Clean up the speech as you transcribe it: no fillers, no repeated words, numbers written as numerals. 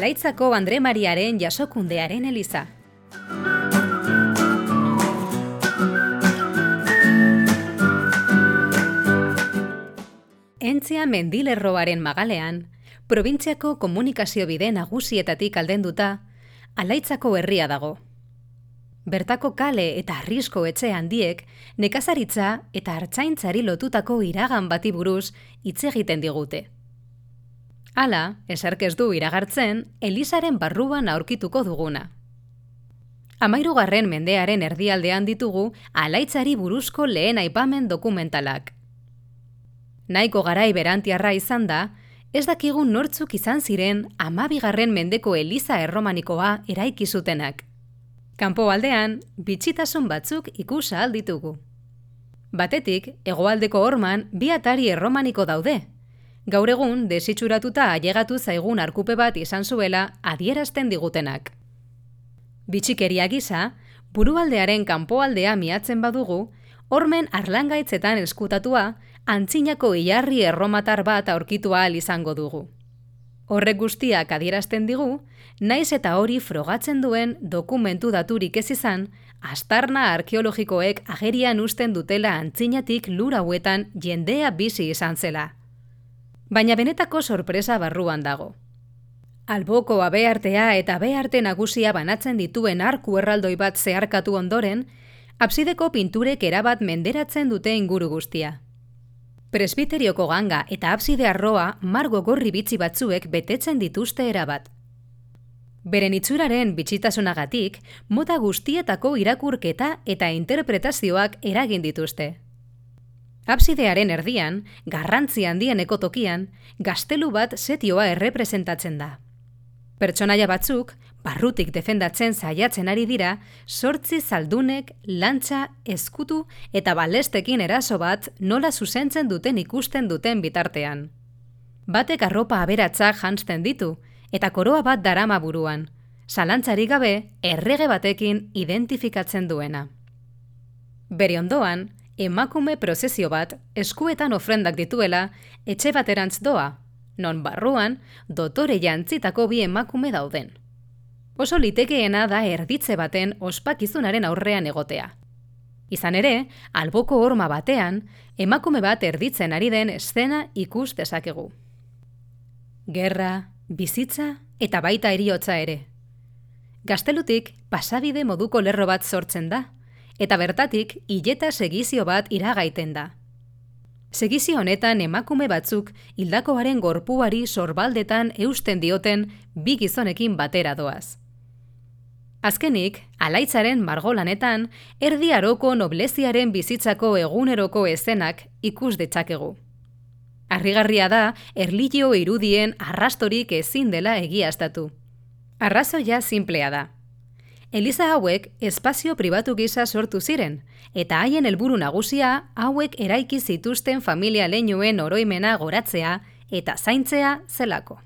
Alaitzako Andre Mariaren jasokundearen eliza. Entzia mendilerroaren magalean, probintziako komunikazio bide nagusietatik aldenduta, Alaitzako herria dago. Bertako kale eta arrisko etxe handiek nekazaritza eta artzaintzari lotutako iragan bati buruz hitz egiten digute. Hala, eserk ez du iragartzen, elizaren barruan aurkituko duguna. 13. mendearen erdialdean ditugu Alaitzari buruzko lehen aipamen dokumentalak. Nahiko garai berantiarra izan da, ez dakigun nortzuk izan ziren 12. mendeko eliza erromanikoa eraiki zutenak. Kanpoaldean, bitxitasun batzuk ikus ahal ditugu. Batetik, hegoaldeko horman 2 atari erromaniko daude. Gaur egun, desitxuratuta ailegatu zaigun arkupe bat izan zuela adierazten digutenak. Bitxikeria gisa, burualdearen kanpoaldea miatzen badugu, hormen arlangaitzetan eskutatua, antzinako ilarri erromatar bat aurkitu ahal izango dugu. Horrek guztiak adierazten digu, naiz eta hori frogatzen duen dokumentu daturik ez izan, aztarna arkeologikoek agerian uzten dutela antzinatik lur hauetan jendea bizi izan zela. Baina benetako sorpresa barruan dago. Alboko abeartea eta abearte nagusia banatzen dituen arku erraldoi bat zeharkatu ondoren, absideko pinturek erabat menderatzen dute inguru guztia. Presbiterioko ganga eta abside arroa margo gorri bitxi batzuek betetzen dituzte erabat. Beren itxuraren bitxitasunagatik, mota guztietako irakurketa eta interpretazioak eragin dituzte. Absidearen erdian, garrantzi handieneko tokian, gaztelu bat setioa errepresentatzen da. Pertsonaia batzuk, barrutik defendatzen saiatzen ari dira, 8 zaldunek, lantza, eskutu eta balestekin eraso bat nola zuzentzen duten ikusten duten bitartean. Batek arropa aberatzak janzten ditu, eta koroa bat darama buruan, zalantzarik gabe errege batekin identifikatzen duena. Bere ondoan, emakume prozesio bat eskuetan ofrendak dituela etxe baterantz doa, non barruan dotore jantzitako 2 emakume dauden. Oso litekeena da erditze baten ospakizunaren aurrean egotea. Izan ere, alboko horma batean, emakume bat erditzen ari den eszena ikus dezakegu. Gerra, bizitza eta baita heriotza ere. Gaztelutik pasabide moduko lerro bat sortzen da, eta bertatik hileta segizio bat iragaiten da. Segizio honetan emakume batzuk hildakoaren gorpuari sorbaldetan eusten dioten 2 gizonekin batera doaz. Azkenik, Alaitzaren margolanetan, Erdi Aroko nobleziaren bizitzako eguneroko eszenak ikus ditzakegu. Harrigarria da, erlijio irudien arrastorik ezin dela egiaztatu. Arrazoia sinplea da. Eliza hauek espazio pribatu gisa sortu ziren, eta haien helburu nagusia hauek eraiki zituzten familia leinuen oroimena goratzea eta zaintzea zelako.